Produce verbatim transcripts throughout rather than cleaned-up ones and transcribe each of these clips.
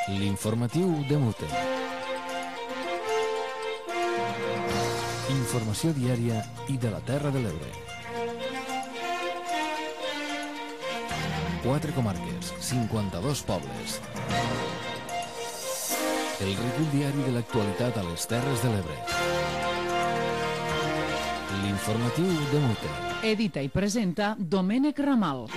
L'informatiu de Mute. Informació diària i de la Terra de l'Ebre. Quatre comarques, cinquanta-dos pobles. El recull diari de l'actualitat a les Terres de l'Ebre. L'informatiu de Mute. Edita i presenta Domènec Ramal.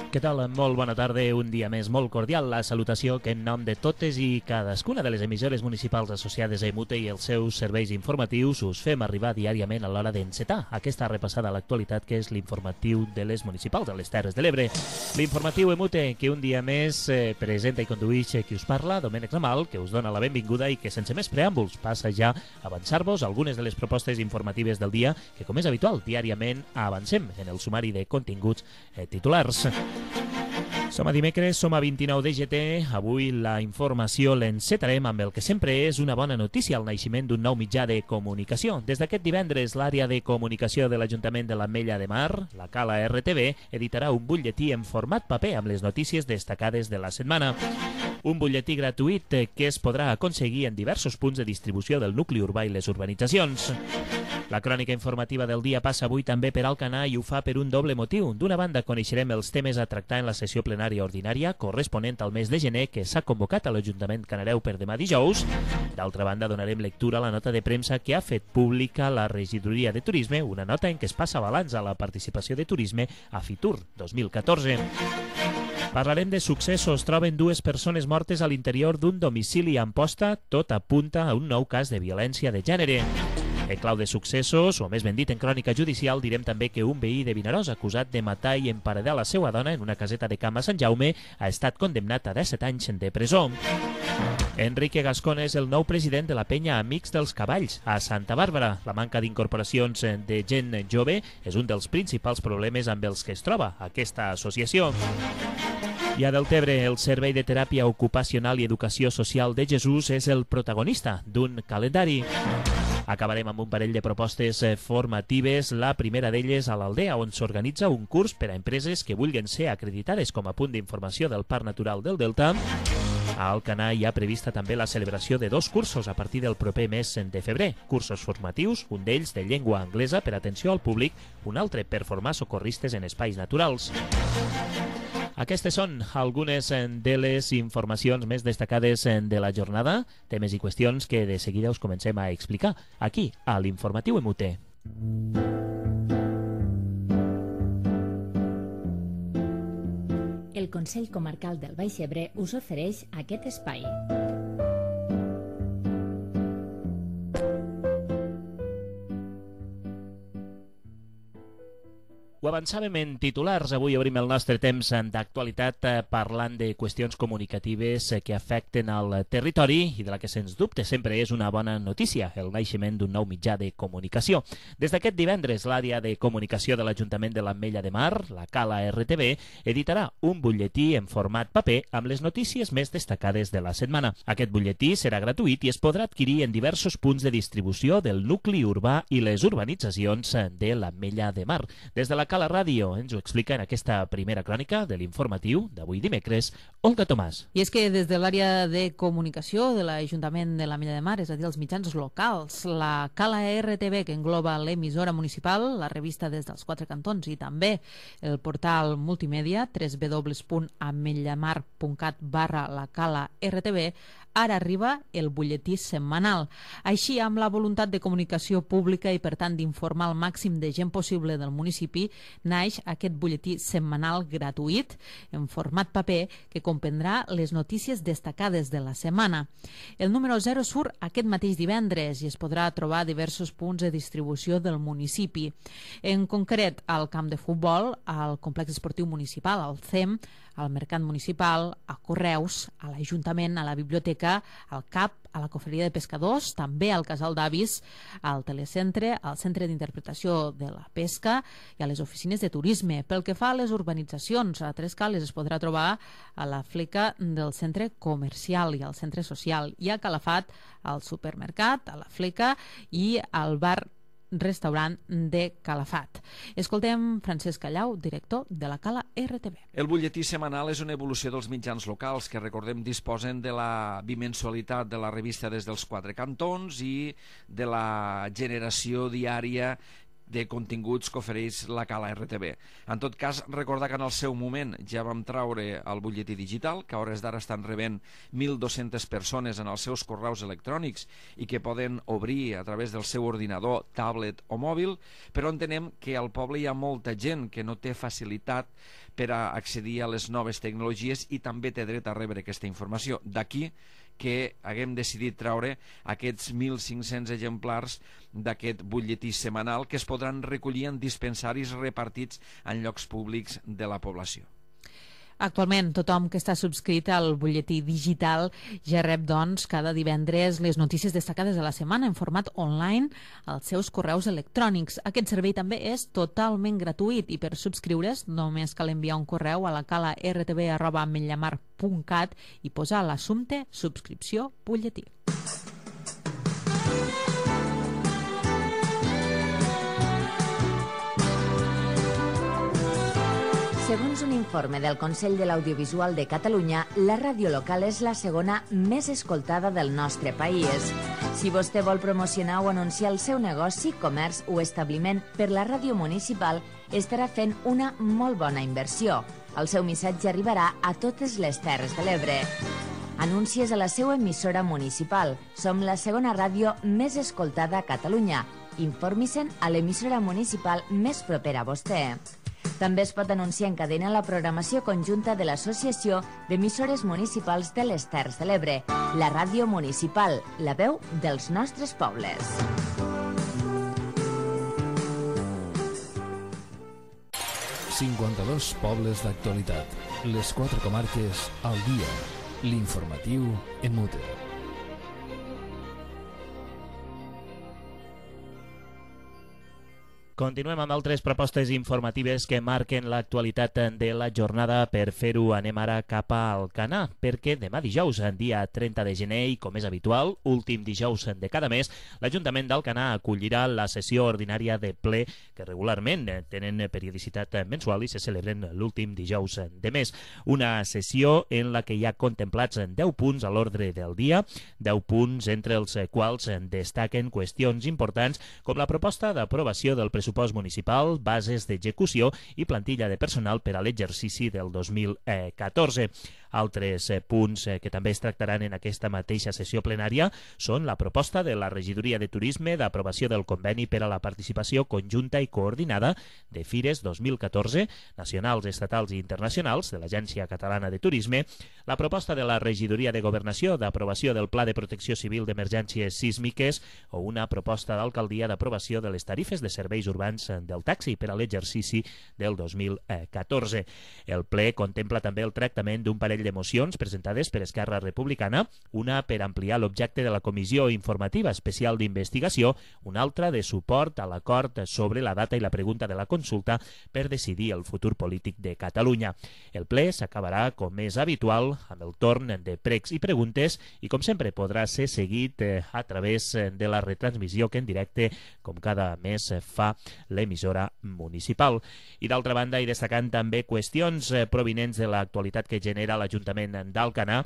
Què tal? Molt bona tarda, un dia més molt cordial. La salutació que en nom de totes i cadascuna de les emissores municipals associades a Mute i els seus serveis informatius us fem arribar diàriament a l'hora d'encetar aquesta repassada a l'actualitat que és l'informatiu de les municipals a les Terres de l'Ebre. L'informatiu Mute que un dia més eh, presenta i conduïx qui us parla, Domènec Ramal, que us dona la benvinguda i que sense més preàmbuls passa ja a avançar-vos algunes de les propostes informatives del dia que, com és habitual, diàriament avancem en el sumari de continguts eh, titulars. Som a dimecres, som a vint-i-nou de gener. Avui la informació l'encetarem amb el que sempre és una bona notícia, el naixement d'un nou mitjà de comunicació. Des d'aquest divendres, l'àrea de comunicació de l'Ajuntament de l'Ametlla de Mar, la Cala R T V, editarà un butlletí en format paper amb les notícies destacades de la setmana. Un butlletí gratuït que es podrà aconseguir en diversos punts de distribució del nucli urbà i les urbanitzacions. La crònica informativa del dia passa avui també per Alcanar i ho fa per un doble motiu. D'una banda, coneixerem els temes a tractar en la sessió plenària ordinària corresponent al mes de gener que s'ha convocat a l'Ajuntament Canareu per demà dijous. D'altra banda, donarem lectura a la nota de premsa que ha fet pública la Regidoria de Turisme, una nota en què es passa balanç a la participació de turisme a Fitur dos mil catorze. Parlarem de successos. Troben dues persones mortes a l'interior d'un domicili a Amposta. Tot apunta a un nou cas de violència de gènere. En clau de successos, o més ben dit en crònica judicial, direm també que un veí de Vinaròs acusat de matar i emparedar la seva dona en una caseta de camp a Sant Jaume ha estat condemnat a disset anys de presó. Enrique Gascón és el nou president de la penya Amics dels Cavalls a Santa Bàrbara. La manca d'incorporacions de gent jove és un dels principals problemes amb els que es troba aquesta associació. I a Deltebre, el Servei de Teràpia Ocupacional i Educació Social de Jesús és el protagonista d'un calendari. Acabarem amb un parell de propostes formatives, la primera d'elles a l'Aldea, on s'organitza un curs per a empreses que vulguin ser acreditades com a punt d'informació del Parc Natural del Delta. A Alcanar hi ha prevista també la celebració de dos cursos a partir del proper mes de febrer. Cursos formatius, un d'ells de llengua anglesa per atenció al públic, un altre per formar socorristes en espais naturals. Aquestes són algunes de les informacions més destacades de la jornada, temes i qüestions que de seguida us comencem a explicar aquí, a l'Informatiu Mute. El Consell Comarcal del Baix Ebre us ofereix aquest espai. Ho avançàvem en titulars. Avui obrim el nostre temps d'actualitat parlant de qüestions comunicatives que afecten al territori i de la que sens dubte sempre és una bona notícia, el naixement d'un nou mitjà de comunicació. Des d'aquest divendres, l'àrea de comunicació de l'Ajuntament de l'Ametlla de Mar, la Cala R T V, editarà un butlletí en format paper amb les notícies més destacades de la setmana. Aquest butlletí serà gratuït i es podrà adquirir en diversos punts de distribució del nucli urbà i les urbanitzacions de l'Ametlla de Mar. Des de la Cala Ràdio ens ho explica en aquesta primera crònica de l'informatiu d'avui dimecres, Olga Tomàs. I és que des de l'àrea de comunicació de l'Ajuntament de l'Ametlla de Mar, és a dir, els mitjans locals, la Cala R T V, que engloba l'emissora municipal, la revista des dels quatre cantons i també el portal multimèdia w w w punt ametllamar punt cat barra la Cala R T V, ara arriba el butlletí setmanal. Així, amb la voluntat de comunicació pública i, per tant, d'informar el màxim de gent possible del municipi, naix aquest butlletí setmanal gratuït en format paper que comprendrà les notícies destacades de la setmana. El número zero surt aquest mateix divendres i es podrà trobar a diversos punts de distribució del municipi. En concret, al camp de futbol, al complex esportiu municipal, al C E M, al Mercat Municipal, a Correus, a l'Ajuntament, a la Biblioteca, al C A P, a la Cofreria de Pescadors, també al Casal d'Avis, al Telecentre, al Centre d'Interpretació de la Pesca i a les oficines de turisme. Pel que fa a les urbanitzacions, a Tres Cales es podrà trobar a la fleca del centre comercial i al centre social, i a Calafat, al supermercat, a la fleca i al bar restaurant de Calafat. Escoltem Francesc Callau, director de la Cala R T B. El butlletí setmanal és una evolució dels mitjans locals que, recordem, disposen de la bimensualitat de la revista des dels quatre cantons i de la generació diària de continguts que ofereix la Cala R T B. En tot cas, recordar que en el seu moment ja vam traure el butlletí digital, que a hores d'ara estan rebent mil dues-centes persones en els seus correus electrònics i que poden obrir a través del seu ordinador, tablet o mòbil, però entenem que al poble hi ha molta gent que no té facilitat per a accedir a les noves tecnologies i també té dret a rebre aquesta informació. D'aquí que haguem decidit treure aquests mil cinc-cents exemplars d'aquest butlletí setmanal que es podran recollir en dispensaris repartits en llocs públics de la població. Actualment, tothom que està subscrit al butlletí digital ja rep, doncs, cada divendres les notícies destacades de la setmana en format online als seus correus electrònics. Aquest servei també és totalment gratuït i per subscriure's només cal enviar un correu a la cala r t b arroba ametlllamar punt cat i posar l'assumpte subscripció butlletí. Segons un informe del Consell de l'Audiovisual de Catalunya, la ràdio local és la segona més escoltada del nostre país. Si vostè vol promocionar o anunciar el seu negoci, comerç o establiment per la ràdio municipal, estarà fent una molt bona inversió. El seu missatge arribarà a totes les Terres de l'Ebre. Anuncies a la seva emissora municipal. Som la segona ràdio més escoltada a Catalunya. Informi-se'n a l'emissora municipal més propera a vostè. També es pot anunciar en cadena la programació conjunta de l'Associació d'Emissores Municipals de les Terres de l'Ebre, la ràdio municipal, la veu dels nostres pobles. cinquanta-dos pobles d'actualitat. Les quatre comarques al dia. L'informatiu en Mute. Continuem amb altres propostes informatives que marquen l'actualitat de la jornada. Per fer-ho anem ara cap a Alcanar, perquè demà dijous, dia trenta de gener, i com és habitual, últim dijous de cada mes, l'Ajuntament d'Alcanar acollirà la sessió ordinària de ple que regularment tenen periodicitat mensual i se celebren l'últim dijous de mes. Una sessió en la que hi ha contemplats deu punts a l'ordre del dia, deu punts entre els quals destaquen qüestions importants com la proposta d'aprovació del pressupost pressupost municipal, bases d'execució i plantilla de personal per a l'exercici del dos mil catorze. Altres punts que també es tractaran en aquesta mateixa sessió plenària són la proposta de la Regidoria de Turisme d'aprovació del conveni per a la participació conjunta i coordinada de fires dos mil catorze, nacionals, estatals i internacionals de l'Agència Catalana de Turisme, la proposta de la Regidoria de Governació d'aprovació del Pla de Protecció Civil d'Emergències Sísmiques o una proposta d'alcaldia d'aprovació de les tarifes de serveis urbans del taxi per a l'exercici del dos mil catorze. El ple contempla també el tractament d'un parell de mocions presentades per Esquerra Republicana, una per ampliar l'objecte de la Comissió Informativa Especial d'Investigació, una altra de suport a l'acord sobre la data i la pregunta de la consulta per decidir el futur polític de Catalunya. El ple s'acabarà, com és habitual, amb el torn de pregs i preguntes i, com sempre, podrà ser seguit a través de la retransmissió que en directe, com cada mes, fa l'emissora municipal. I d'altra banda, i destacant també qüestions provinents de l'actualitat que genera l'Ajuntament d'Alcanar,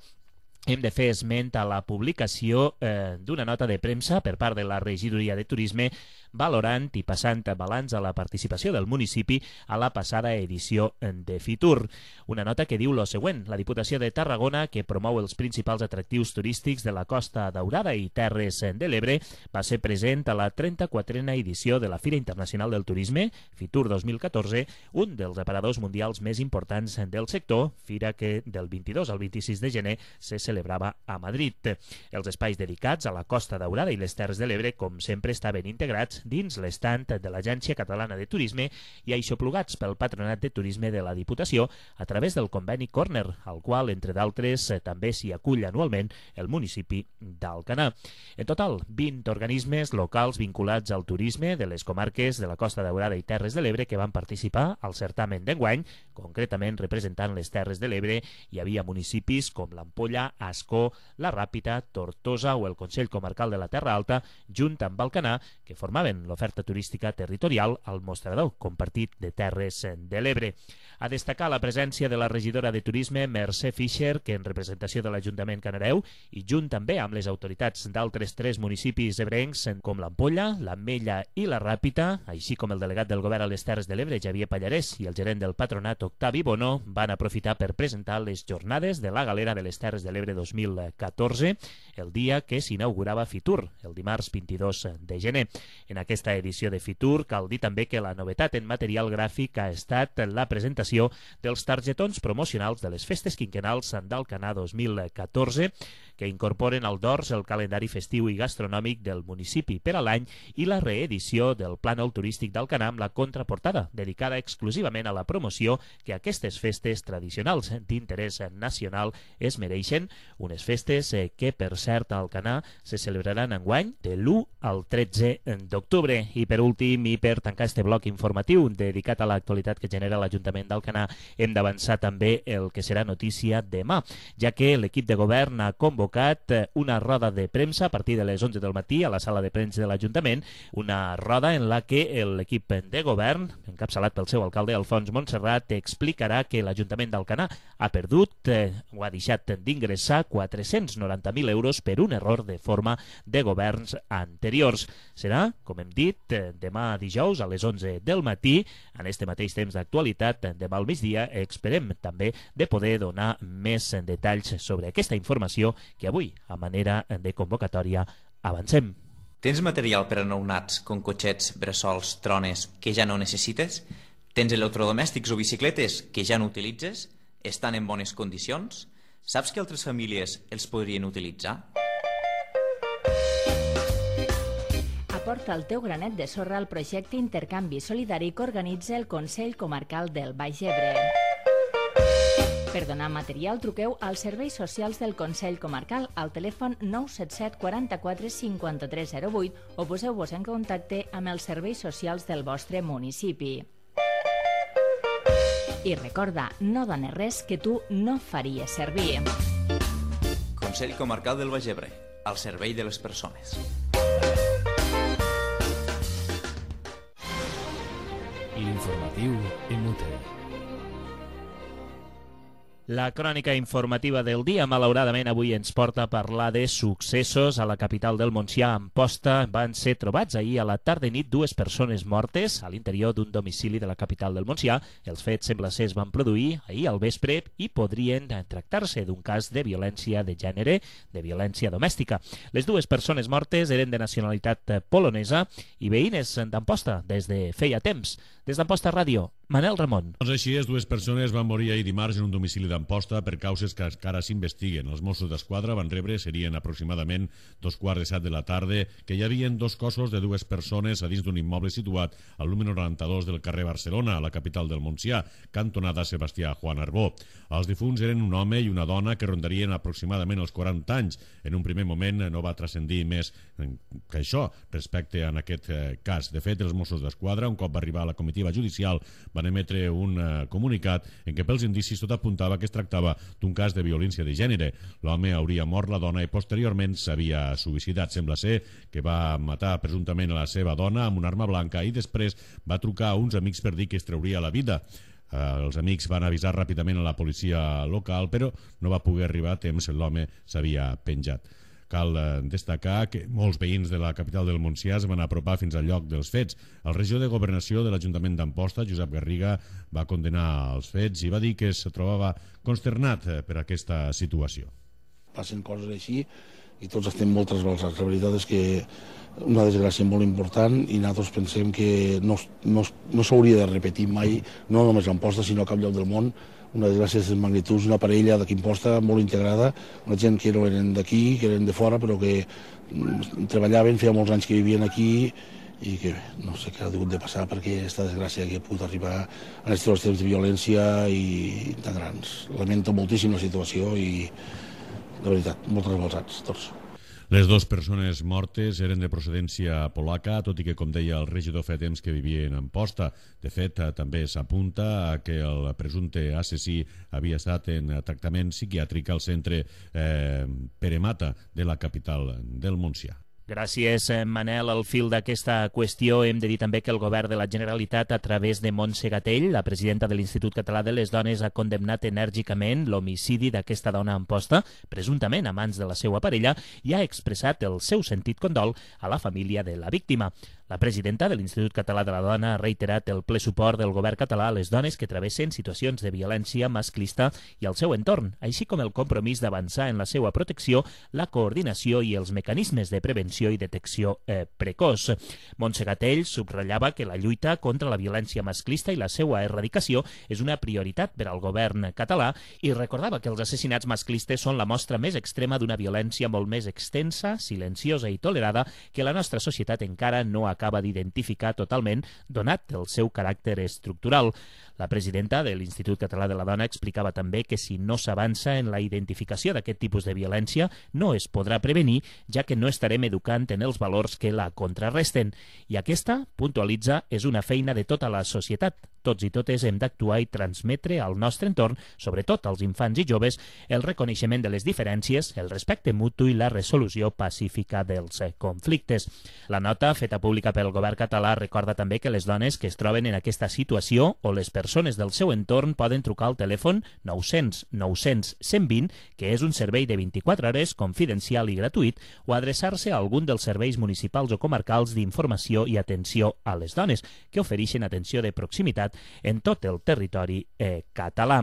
hem de fer esment a la publicació eh, d'una nota de premsa per part de la Regidoria de Turisme valorant i passant balanç a la participació del municipi a la passada edició de Fitur. Una nota que diu lo següent: la Diputació de Tarragona, que promou els principals atractius turístics de la Costa Daurada i Terres de l'Ebre, va ser present a la trenta-quatrena edició de la Fira Internacional del Turisme, Fitur dos mil catorze, un dels aparadors mundials més importants del sector, fira que del vint-i-dos al vint-i-sis de gener se celebrava a Madrid. Els espais dedicats a la Costa Daurada i les Terres de l'Ebre, com sempre, estaven integrats dins l'estant de l'Agència Catalana de Turisme i aixoplugats pel Patronat de Turisme de la Diputació a través del conveni Corner, al qual, entre d'altres, també s'hi acull anualment el municipi d'Alcanar. En total, vint organismes locals vinculats al turisme de les comarques de la Costa Daurada i Terres de l'Ebre que van participar al certamen d'enguany, concretament representant les Terres de l'Ebre. Hi havia municipis com l'Ampolla, Ascó, La Ràpita, Tortosa o el Consell Comarcal de la Terra Alta, junt amb Alcanar, que formaven l'oferta turística territorial al mostrador compartit de Terres de l'Ebre. A destacar la presència de la regidora de Turisme, Mercè Fischer, que en representació de l'Ajuntament Canareu i junt també amb les autoritats d'altres tres municipis ebrencs com l'Ampolla, l'Ametlla i la Ràpita, així com el delegat del govern a les Terres de l'Ebre, Xavier Pallarès, i el gerent del patronat, Octavi Bonó, van aprofitar per presentar les jornades de la Galera de les Terres de l'Ebre dos mil catorze, el dia que s'inaugurava Fitur, el dimarts vint-i-dos de gener. En aquesta edició de Fitur cal dir també que la novetat en material gràfic ha estat la presentació dels targetons promocionals de les festes quinquenals d'Alcanar dos mil catorze, que incorporen al dors el calendari festiu i gastronòmic del municipi per a l'any i la reedició del plànol turístic d'Alcanar amb la contraportada, dedicada exclusivament a la promoció que aquestes festes tradicionals d'interès nacional es mereixen, unes festes que, per cert, a Alcanar se celebraran enguany de l'u al tretze d'octubre. I per últim, i per tancar este bloc informatiu dedicat a l'actualitat que genera l'Ajuntament d'Alcanar, hem d'avançar també el que serà notícia demà, ja que l'equip de govern ha convocat una roda de premsa a partir de les onze del matí a la sala de premsa de l'Ajuntament, una roda en la que l'equip de govern, encapçalat pel seu alcalde Alfons Montserrat, explicarà que l'Ajuntament d'Alcanar ha perdut eh, o ha deixat d'ingressar quatre-cents noranta mil euros per un error de forma de governs anteriors. Serà, com hem dit, demà dijous a les onze del matí, en este mateix temps d'actualitat, demà al migdia, esperem també de poder donar més detalls sobre aquesta informació que avui, a manera de convocatòria, avancem. Tens material per a nounats com cotxets, bressols, trones que ja no necessites? Tens electrodomèstics o bicicletes que ja no utilitzes? Estan en bones condicions? Saps que altres famílies els podrien utilitzar? Aporta el teu granet de sorra al projecte Intercanvi Solidari que organitza el Consell Comarcal del Baix Ebre. Per donar material, truqueu als serveis socials del Consell Comarcal al telèfon nou set set quaranta-quatre cinquanta-tres zero vuit o poseu-vos en contacte amb els serveis socials del vostre municipi. I recorda, no dones res que tu no faries servir. Consell Comarcal del Baix Ebre, al servei de les persones. L'informatiu Emute. La crònica informativa del dia, malauradament, avui ens porta a parlar de successos a la capital del Montsià. A Amposta van ser trobats ahir a la tarda i nit dues persones mortes a l'interior d'un domicili de la capital del Montsià. Els fets, sembla ser, es van produir ahir al vespre i podrien tractar-se d'un cas de violència de gènere, de violència domèstica. Les dues persones mortes eren de nacionalitat polonesa i veïnes d'Amposta des de feia temps. Des d'Amposta Ràdio, Manel Ramon. Doncs així és, dues persones van morir ahir dimarts en un domicili d'Amposta per causes que encara s'investiguen. Els Mossos d'Esquadra van rebre, serien aproximadament dos quarts de set de la tarda, que hi havia dos cossos de dues persones a dins d'un immoble situat al número noranta-dos del carrer Barcelona, a la capital del Montsià, cantonada Sebastià Juan Arbó. Els difunts eren un home i una dona que rondarien aproximadament els quaranta anys. En un primer moment no va transcendir més que això respecte a aquest cas. De fet, els Mossos d'Esquadra, un cop va arribar a la comitiva judicial, van emetre un uh, comunicat en què pels indicis tot apuntava que es tractava d'un cas de violència de gènere. L'home hauria mort la dona i posteriorment s'havia suïcidat. Sembla ser que va matar presumptament a la seva dona amb una arma blanca i després va trucar a uns amics per dir que es trauria la vida. Uh, els amics van avisar ràpidament a la policia local, però no va poder arribar a temps, l'home s'havia penjat. Cal destacar que molts veïns de la capital del Montsià es van apropar fins al lloc dels fets. El regidor de Governació de l'Ajuntament d'Amposta, Josep Garriga, va condenar els fets i va dir que es trobava consternat per aquesta situació. Passen coses així i tots estem molt trasbalsats. La veritat és que una desgràcia molt important i nosaltres pensem que no, no, no s'hauria de repetir mai, no només a Amposta, sinó a cap lloc del món. Una desgràcia de magnituds, una parella d'aquí Amposta molt integrada, una gent que no eren d'aquí, que eren de fora, però que treballaven, feia molts anys que vivien aquí i que no sé què ha hagut de passar perquè aquesta desgràcia que ha pogut arribar en aquests temps de violència i tan grans. Lamento moltíssim la situació i, de veritat, molt trasbalsats tots. Les dues persones mortes eren de procedència polaca, tot i que, com deia el regidor, fa temps que vivien a Amposta. De fet, també s'apunta a que el presumpte assassí havia estat en tractament psiquiàtric al centre eh, Pere Mata de la capital del Montsià. Gràcies, Manel. Al fil d'aquesta qüestió hem de dir també que el govern de la Generalitat, a través de Montse Gatell, la presidenta de l'Institut Català de les Dones, ha condemnat enèrgicament l'homicidi d'aquesta dona a Amposta, presumptament a mans de la seva parella, i ha expressat el seu sentit condol a la família de la víctima. La presidenta de l'Institut Català de la Dona ha reiterat el ple suport del govern català a les dones que travessen situacions de violència masclista i al seu entorn, així com el compromís d'avançar en la seva protecció, la coordinació i els mecanismes de prevenció i detecció eh, precoç. Montse Gatell subratllava que la lluita contra la violència masclista i la seva erradicació és una prioritat per al govern català i recordava que els assassinats masclistes són la mostra més extrema d'una violència molt més extensa, silenciosa i tolerada que la nostra societat encara no ha acaba d'identificar totalment, donat el seu caràcter estructural. La presidenta de l'Institut Català de la Dona explicava també que si no s'avança en la identificació d'aquest tipus de violència no es podrà prevenir, ja que no estarem educant en els valors que la contrarresten. I aquesta, puntualitza, és una feina de tota la societat. Tots i totes hem d'actuar i transmetre al nostre entorn, sobretot als infants i joves, el reconeixement de les diferències, el respecte mutu i la resolució pacífica dels conflictes. La nota feta pública pel govern català recorda també que les dones que es troben en aquesta situació o les persones del seu entorn poden trucar al telèfon nou-cents nou-cents cent vint, que és un servei de vint-i-quatre hores confidencial i gratuït, o adreçar-se a algun dels serveis municipals o comarcals d'informació i atenció a les dones, que ofereixen atenció de proximitat en tot el territori eh, català.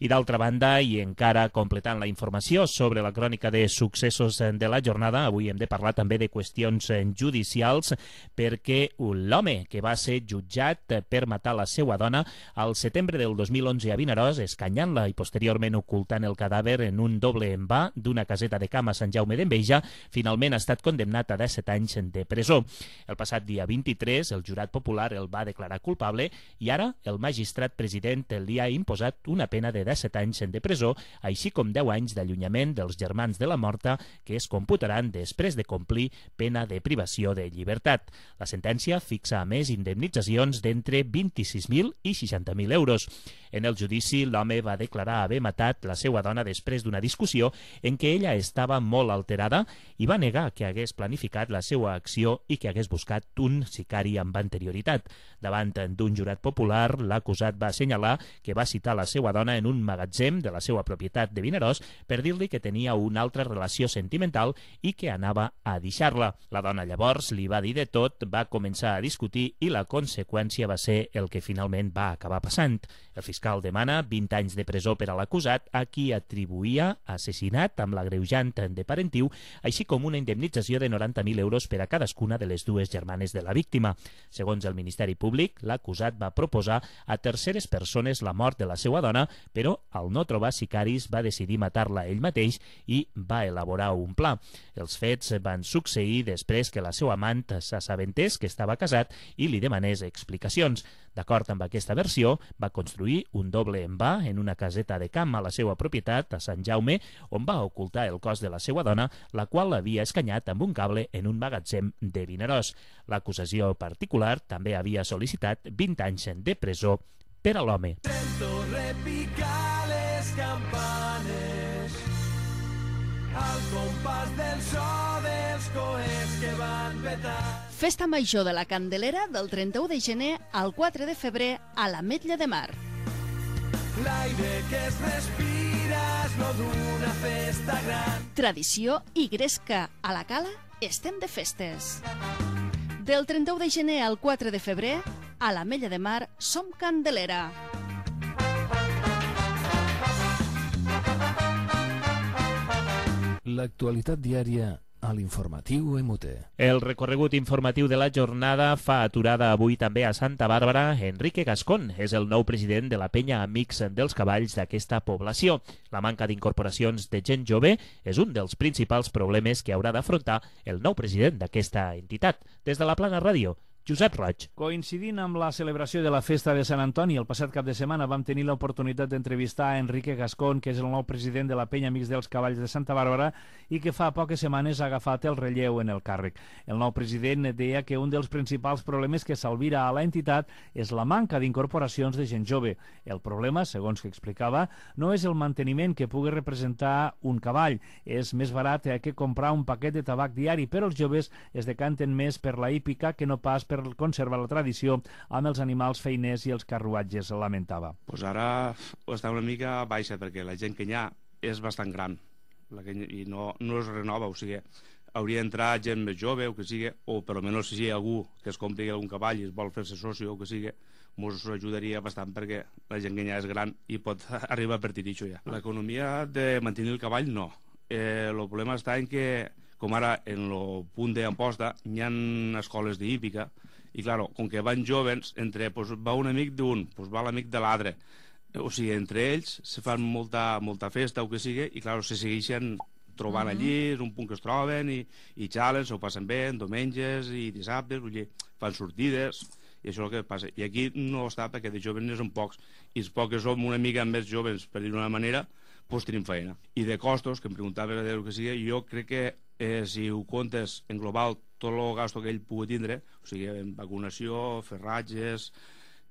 I d'altra banda, i encara completant la informació sobre la crònica de successos de la jornada, avui hem de parlar també de qüestions judicials, perquè l'home que va ser jutjat per matar la seva dona al setembre del dos mil onze a Vinaròs, escanyant-la i posteriorment ocultant el cadàver en un doble envà d'una caseta de camp a Sant Jaume d'Enveja, finalment ha estat condemnat a disset anys de presó. El passat dia vint-i-tres, el jurat popular el va declarar culpable i ara el magistrat president li ha imposat una pena de disset anys de presó, així com deu anys d'allunyament dels germans de la morta, que es computaran després de complir pena de privació de llibertat. La sentència fixa a més indemnitzacions d'entre vint-i-sis mil i seixanta mil euros. En el judici, l'home va declarar haver matat la seva dona després d'una discussió en què ella estava molt alterada i va negar que hagués planificat la seva acció i que hagués buscat un sicari amb anterioritat. Davant d'un jurat popular, l'acusat va assenyalar que va citar la seva dona en un magatzem de la seva propietat de Vinaròs per dir-li que tenia una altra relació sentimental i que anava a deixar-la. La dona llavors li va dir de tot, va començar a discutir i la conseqüència va ser el que finalment va acabar passant. El fiscal demana vint anys de presó per a l'acusat, a qui atribuïa assassinat amb l'agreujant de parentiu, així com una indemnització de noranta mil euros per a cadascuna de les dues germanes de la víctima. Segons el Ministeri Públic, l'acusat va proposar a terceres persones la mort de la seva dona, però al no trobar sicaris va decidir matar-la ell mateix i va elaborar un pla. Els fets van succeir després que la seva amant s'assabentés que estava casat i li demanés explicacions. D'acord amb aquesta versió, va construir un doble envà en una caseta de camp a la seva propietat a Sant Jaume, on va ocultar el cos de la seva dona, la qual l'havia escanyat amb un cable en un magatzem de Vinaròs. L'acusació particular també havia sol·licitat vint anys de presó per a l'home. Sento repicar les campanes al compàs del so dels coets que van petar. Festa Major de la Candelera del trenta-u de gener al quatre de febrer a l'Ametlla de Mar. L'aire que es respira és no d'una festa gran. Tradició i gresca a la Cala estem de festes. Del trenta-u de gener al quatre de febrer a l'Ametlla de Mar som Candelera. L'actualitat diària a l'informatiu M U T. El recorregut informatiu de la jornada fa aturada avui també a Santa Bàrbara. Enrique Gascón és el nou president de la penya Amics dels Cavalls d'aquesta població. La manca d'incorporacions de gent jove és un dels principals problemes que haurà d'afrontar el nou president d'aquesta entitat. Des de la Plana Ràdio, Josep Roig. Coincidint amb la celebració de la festa de Sant Antoni, el passat cap de setmana vam tenir l'oportunitat d'entrevistar a Enrique Gascón, que és el nou president de la Penya Amics dels Cavalls de Santa Bàrbara i que fa poques setmanes ha agafat el relleu en el càrrec. El nou president deia que un dels principals problemes que s'alvira a l'entitat és la manca d'incorporacions de gent jove. El problema, segons que explicava, no és el manteniment que pugui representar un cavall. És més barat que comprar un paquet de tabac diari, però els joves es decanten més per la hípica que no pas per conservar la tradició amb els animals feiners i els carruatges, lamentava. Pues ara està una mica baixa perquè la gent que hi ha és bastant gran la que, i no, no es renova, o sigui, hauria d'entrar gent més jove o que sigui, o per almenys si hi ha algú que es compri algun cavall i es vol fer-se socio o que sigui, ens ajudaria bastant perquè la gent que hi ha és gran i pot arribar a partir d'això ja. L'economia de mantenir el cavall no. Eh, el problema està en que, com ara en el punt d'Amposta, hi ha escoles d'hípica i, clar, com que van jovens, entre, pues, va un amic d'un, pues, va l'amic de l'altre. O sigui, entre ells se fan molta, molta festa o que sigui i, clar, se segueixen trobant uh -huh. allí, és un punt que es troben i, i xalen, s'ho passen bé, en diumenges i dissabtes, vull dir, fan sortides i això és el que passa. I aquí no està perquè de joves n'hi són pocs i els pocs que som una mica més joves, per dir-ho d'una manera, doncs tenim feina. I de costos, que em preguntava el que sigui, jo crec que eh, si ho comptes en global tot el gasto que ell pugui tindre, o sigui, en vacunació, ferratges,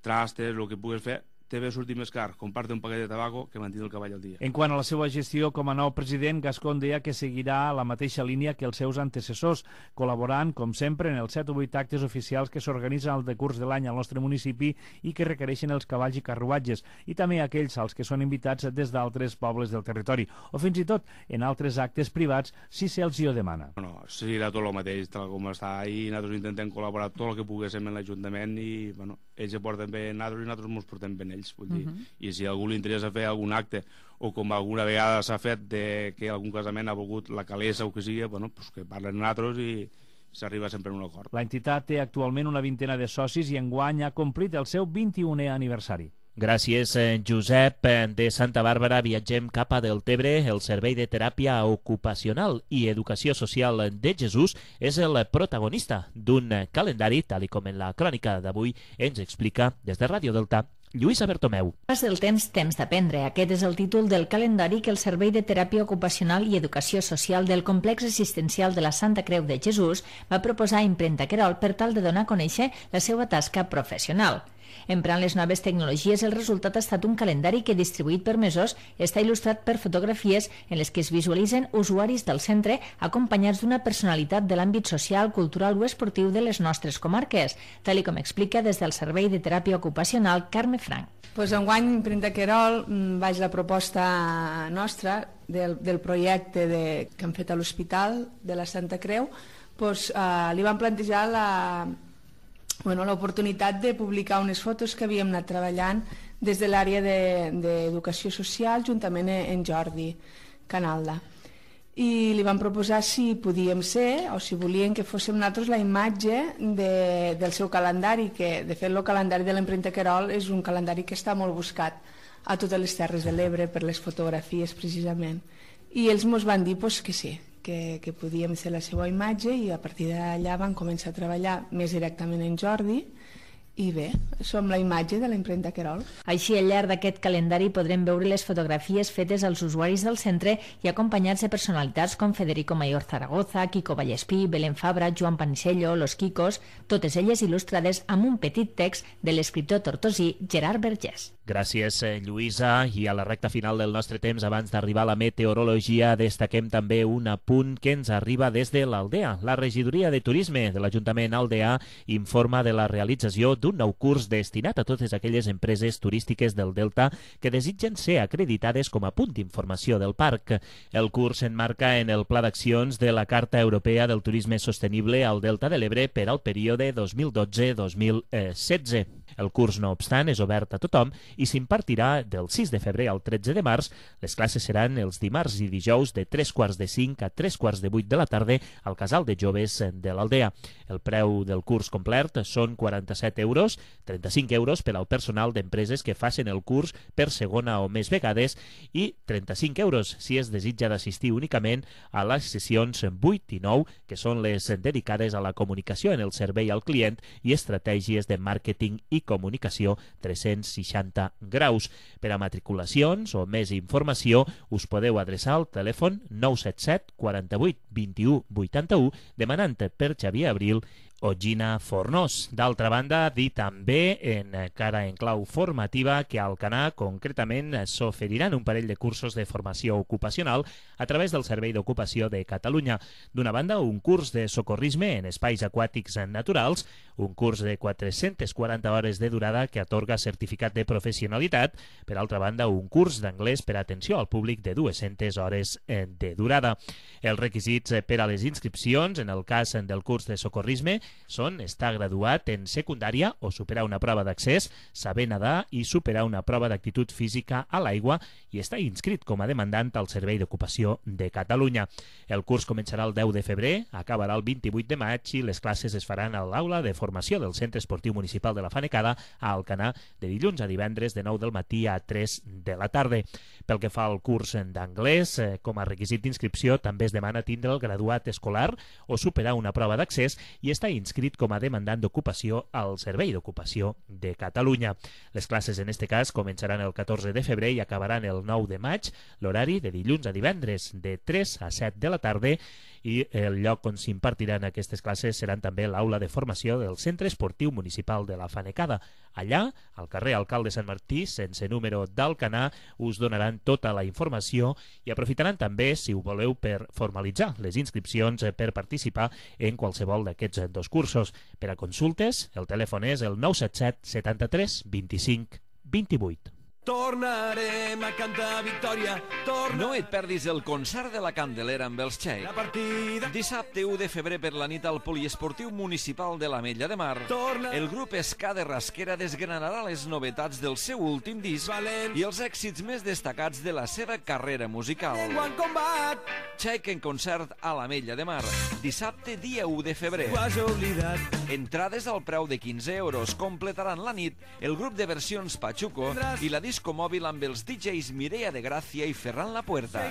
trastes, el que puguis fer, té bé sortir més car comprar-te un paquet de tabaco que mantenir el cavall al dia. En quant a la seva gestió com a nou president, Gascón deia que seguirà la mateixa línia que els seus antecessors, col·laborant, com sempre, en els set o vuit actes oficials que s'organitzen al decurs de l'any al nostre municipi i que requereixen els cavalls i carruatges, i també aquells als que són invitats des d'altres pobles del territori, o fins i tot en altres actes privats, si se'ls hi ho demana. No, seguirà tot el mateix, tal com està, i nosaltres intentem col·laborar tot el que poguéssim en l'Ajuntament i, bueno, ells se porten bé nosaltres i nosaltres ens portem bé ells, vull dir. Uh -huh. I si a algú li interessa fer algun acte o com alguna vegada s'ha fet de que algun casament ha volgut la calessa o que sigui, bueno, pues que parlen nosaltres i s'arriba sempre a un acord. L'entitat té actualment una vintena de socis i enguany ha complit el seu vint-i-unè aniversari. Gràcies, Josep. De Santa Bàrbara viatgem cap a Deltebre. El Servei de Teràpia Ocupacional i Educació Social de Jesús és el protagonista d'un calendari, tal com en la crònica d'avui ens explica des de Ràdio Delta Lluïsa Bertomeu. Pas del temps, temps d'aprendre. Aquest és el títol del calendari que el Servei de Teràpia Ocupacional i Educació Social del Complex Assistencial de la Santa Creu de Jesús va proposar a Impremta Querol per tal de donar a conèixer la seva tasca professional. Emprant les noves tecnologies, el resultat ha estat un calendari que, distribuït per mesos, està il·lustrat per fotografies en les que es visualitzen usuaris del centre acompanyats d'una personalitat de l'àmbit social, cultural o esportiu de les nostres comarques, tal com explica des del Servei de Teràpia Ocupacional Carme Frank. Pues enguany, Impremta Querol, vaig la proposta nostra del, del projecte de, que han fet a l'Hospital de la Santa Creu, pues, eh, li van plantejar la... Bueno, l'oportunitat de publicar unes fotos que havíem anat treballant des de l'àrea d'educació social juntament en Jordi Canalda. I li van proposar si podíem ser o si volien que fóssim nosaltres la imatge de, del seu calendari, que de fet el calendari de l'Impremta Querol és un calendari que està molt buscat a totes les Terres de l'Ebre per les fotografies precisament. I ells ens van dir pues, que sí, Que, que podíem ser la seva imatge i a partir d'allà van començar a treballar més directament en Jordi i bé, som la imatge de l'Impremta Querol. Així, al llarg d'aquest calendari podrem veure les fotografies fetes als usuaris del centre i acompanyats de personalitats com Federico Mayor Zaragoza, Quico Vallespí, Belén Fabra, Joan Panisello, Los Quicos, totes elles il·lustrades amb un petit text de l'escriptor tortosí Gerard Vergés. Gràcies, Lluïsa. I a la recta final del nostre temps, abans d'arribar a la meteorologia, destaquem també un apunt que ens arriba des de l'Aldea. La regidoria de turisme de l'Ajuntament Aldea informa de la realització d'un nou curs destinat a totes aquelles empreses turístiques del Delta que desitgen ser acreditades com a punt d'informació del parc. El curs s'enmarca en el Pla d'Accions de la Carta Europea del Turisme Sostenible al Delta de l'Ebre per al període dos mil dotze dos mil setze. El curs, no obstant, és obert a tothom i s'impartirà del sis de febrer al tretze de març. Les classes seran els dimarts i dijous de tres quarts de cinc a tres quarts de vuit de la tarda al Casal de Joves de l'Aldea. El preu del curs complet són quaranta-set euros, trenta-cinc euros per al personal d'empreses que facin el curs per segona o més vegades i trenta-cinc euros si es desitja d'assistir únicament a les sessions vuit i nou, que són les dedicades a la comunicació en el servei al client i estratègies de màrqueting i comunicació tres-cents seixanta graus. Per a matriculacions o més informació us podeu adreçar al telèfon nou set set quaranta-vuit vint-i-u vuitanta-u demanant per Xavier Abril o Gina Fornós. D'altra banda, dir també, encara en clau formativa, que a Alcanar concretament s'oferiran un parell de cursos de formació ocupacional a través del Servei d'Ocupació de Catalunya. D'una banda, un curs de socorrisme en espais aquàtics naturals, un curs de quatre-centes quaranta hores de durada que atorga certificat de professionalitat. Per altra banda, un curs d'anglès per atenció al públic de dues-centes hores de durada. Els requisits per a les inscripcions, en el cas del curs de socorrisme, són estar graduat en secundària o superar una prova d'accés, saber nedar i superar una prova d'actitud física a l'aigua i estar inscrit com a demandant al Servei d'Ocupació de Catalunya. El curs començarà el deu de febrer, acabarà el vint-i-vuit de maig i les classes es faran a l'aula de formació del Centre Esportiu Municipal de la Fanecada a Alcanar de dilluns a divendres de nou del matí a tres de la tarda. Pel que fa al curs d'anglès, com a requisit d'inscripció també es demana tindre el graduat escolar o superar una prova d'accés i estar inscrit com a demandant d'ocupació al Servei d'Ocupació de Catalunya. Les classes en este cas començaran el catorze de febrer i acabaran el nou de maig, l'horari de dilluns a divendres de tres a set de la tarda i el lloc on s'impartiran aquestes classes seran també l'aula de formació del Centre Esportiu Municipal de la Fanecada. Allà, al carrer Alcalde Sant Martí, sense número d'Alcanar, us donaran tota la informació i aprofitaran també, si ho voleu, per formalitzar les inscripcions per participar en qualsevol d'aquests dos cursos. Per a consultes, el telèfon és el nou set set setanta-tres vint-i-cinc vint-i-vuit. Tornarem a cantar victòria. Torna... No et perdis el concert de la Candelera amb els Xeic. La partida... Dissabte u de febrer per la nit al Poliesportiu Municipal de l'Ametlla de Mar. Torna... El grup Ska de Rasquera desgranarà les novetats del seu últim disc Valent... i els èxits més destacats de la seva carrera musical. Combat... Xeic en concert a l'Ametlla de Mar. Dissabte, dia u de febrer. Ho has oblidat. Entrades al preu de quinze euros. Completaran la nit el grup de versions Pachuco i la disco mòbil amb els D Js Mireia de Gràcia i Ferran Lapuerta.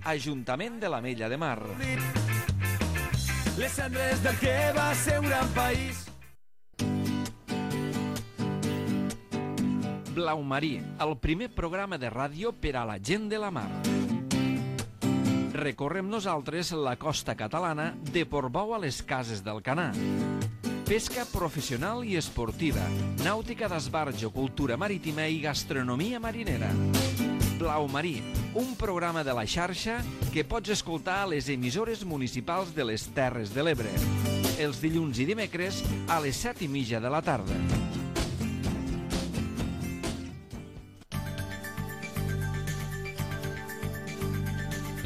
Ajuntament de l'Ametlla de Mar. Les cendres del que va ser un gran país. Blau Marí, el primer programa de ràdio per a la gent de la mar. Recorrem nosaltres la costa catalana de Portbou a les Cases d'Alcanar. Pesca professional i esportiva, nàutica d'esbarjo, cultura marítima i gastronomia marinera. Blau Marí, un programa de la xarxa que pots escoltar a les emissores municipals de les Terres de l'Ebre. Els dilluns i dimecres a les set i mitja de la tarda.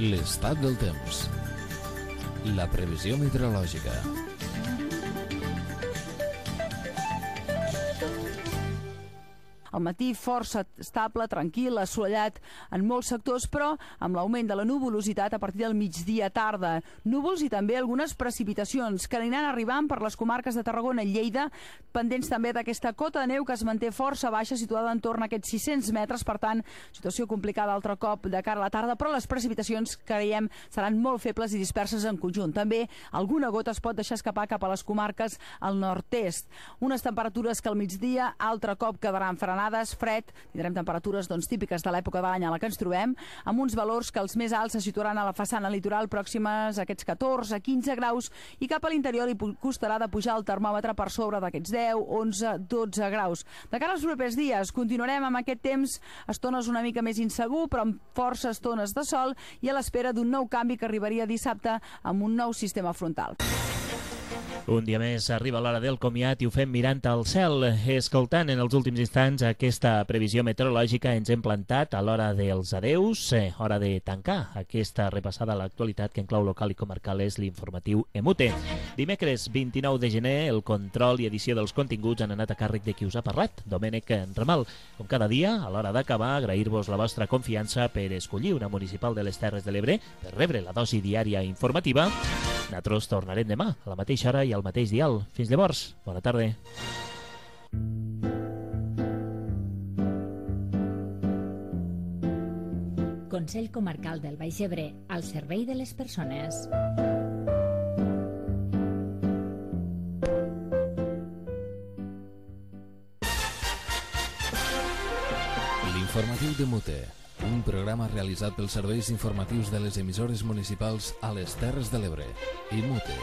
L'estat del temps. La previsió meteorològica. Al matí força estable, tranquil, assolellat en molts sectors, però amb l'augment de la nuvolositat a partir del migdia tarda. Núvols i també algunes precipitacions que aniran arribant per les comarques de Tarragona i Lleida, pendents també d'aquesta cota de neu que es manté força baixa, situada en torn a aquests sis-cents metres, per tant, situació complicada altre cop de cara a la tarda, però les precipitacions, creiem, seran molt febles i disperses en conjunt. També alguna gota es pot deixar escapar cap a les comarques al nord-est. Unes temperatures que al migdia altre cop quedaran frenades, fred, tindrem temperatures doncs, típiques de l'època de l'any a la que ens trobem, amb uns valors que els més alts se situaran a la façana litoral pròximes a aquests catorze a quinze graus i cap a l'interior li costarà de pujar el termòmetre per sobre d'aquests deu, onze, dotze graus. De cara als propers dies continuarem amb aquest temps, estones una mica més insegur, però amb força estones de sol i a l'espera d'un nou canvi que arribaria dissabte amb un nou sistema frontal. Un dia més arriba l'hora del comiat i ho fem mirant al cel. Escoltant en els últims instants aquesta previsió meteorològica, ens hem plantat a l'hora dels adeus, eh, hora de tancar aquesta repassada a l'actualitat que en clau local i comarcal és l'informatiu Emute. Dimecres vint-i-nou de gener, el control i edició dels continguts han anat a càrrec de qui us ha parlat, Domènec Ramal. Com cada dia, a l'hora d'acabar, agrair-vos la vostra confiança per escollir una municipal de les Terres de l'Ebre per rebre la dosi diària informativa. Nosaltres tornarem demà, a la mateixa hora i al mateix dial. Fins llavors, bona tarda. Consell Comarcal del Baix Ebre, al servei de les persones. L'informatiu de Mute, un programa realitzat pels serveis informatius de les emissores municipals a les Terres de l'Ebre i Mute.